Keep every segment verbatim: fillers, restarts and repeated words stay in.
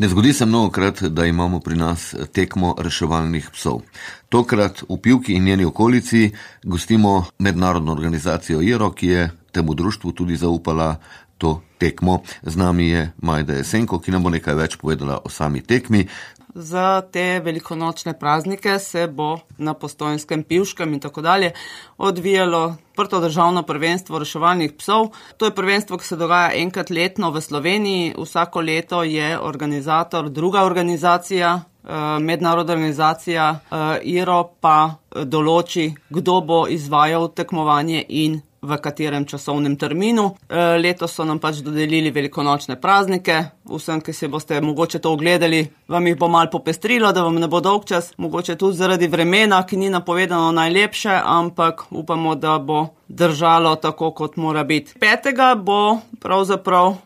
Ne zgodi se mnogokrat, da imamo pri nas tekmo reševalnih psov. Tokrat v Pivki in njeni okolici gostimo mednarodno organizacijo IRO, ki je temu društvu tudi zaupala to tekmo. Z nami je Majda Jesenko, ki nam bo nekaj več povedala o sami tekmi. Za te velikonočne praznike se bo na Postojnskem, Pivškem in tako dalje odvijalo prto državno prvenstvo reševalnih psov. To je prvenstvo, ki se dogaja enkrat letno v Sloveniji. Vsako leto je organizator druga organizacija, mednarodna organizacija IRO pa določi, kdo bo izvajal tekmovanje in v katerem časovnem terminu. Letos so nam pač dodelili velikonočne praznike. Vsem, ki si boste mogoče to ogledali, vam jih bo malo popestrilo, da vam ne bo dolgčas. Mogoče tudi zaradi vremena, ki ni napovedano najlepše, ampak upamo, da bo držalo tako, kot mora biti. Petega bo pravzaprav uh,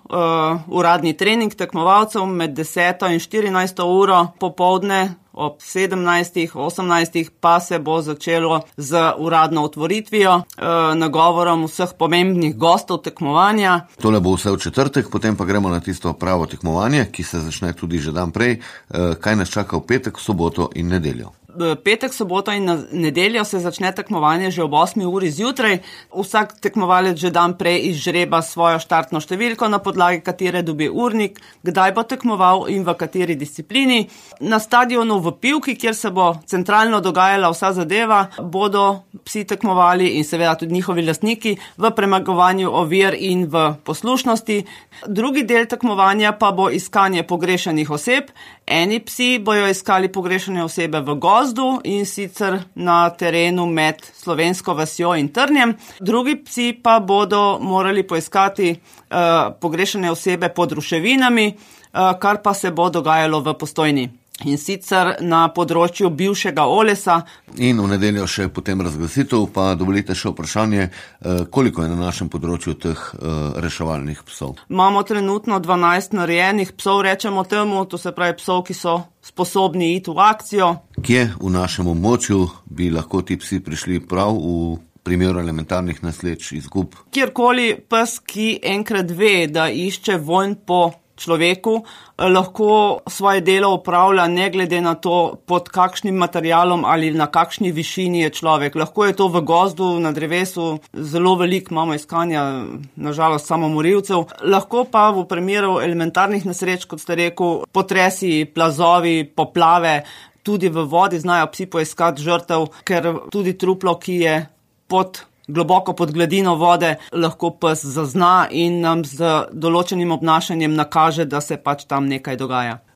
uradni trening tekmovalcev med deseto in štirinajsto uro popoldne. Ob sedemnajstih, osemnajstih pa se bo začelo z uradno otvoritvijo, e, nagovorom vseh pomembnih gostov tekmovanja. Tole bo vse v četrtek, potem pa gremo na tisto pravo tekmovanje, ki se začne tudi že dan prej. E, kaj nas čaka v petek, soboto in nedeljo? Petek, soboto in nedeljo se začne tekmovanje že ob osmi uri zjutraj. Vsak tekmovalec že dan prej izžreba svojo štartno številko, na podlagi katere dobi urnik, kdaj bo tekmoval in v kateri disciplini. Na stadionu v Pivki, kjer se bo centralno dogajala vsa zadeva, bodo psi tekmovali in seveda tudi njihovi lastniki v premagovanju ovir in v poslušnosti. Drugi del tekmovanja pa bo iskanje pogrešanih oseb. Eni psi bojo iskali pogrešane osebe v gozdu in sicer na terenu med Slovensko vasjo in Trnjem. Drugi psi pa bodo morali poiskati uh, pogrešane osebe pod ruševinami, uh, kar pa se bo dogajalo v Postojni. In sicer na področju bivšega Olesa. In v nedeljo še potem razglasitev, pa dovolite še vprašanje, koliko je na našem področju teh reševalnih psov? Imamo trenutno dvanajst narejenih psov, rečemo temu, to se pravi psov, ki so sposobni iti v akcijo. Kje v našem območju bi lahko ti psi prišli prav v primeru elementarnih nesreč, izgub? Kjerkoli pes, ki enkrat ve, da išče vonj po človeku, lahko svoje delo opravlja ne glede na to, pod kakšnim materialom ali na kakšni višini je človek. Lahko je to v gozdu, na drevesu, zelo veliko imamo iskanja, nažalost, samomorilcev. Lahko pa v primeru elementarnih nesreč, kot ste rekel, potresi, plazovi, poplave, tudi v vodi znajo psi poiskati žrtev, ker tudi truplo, ki je pod globoko pod gladino vode, lahko pes zazna in nam z določenim obnašanjem nakaže, da se pač tam nekaj dogaja.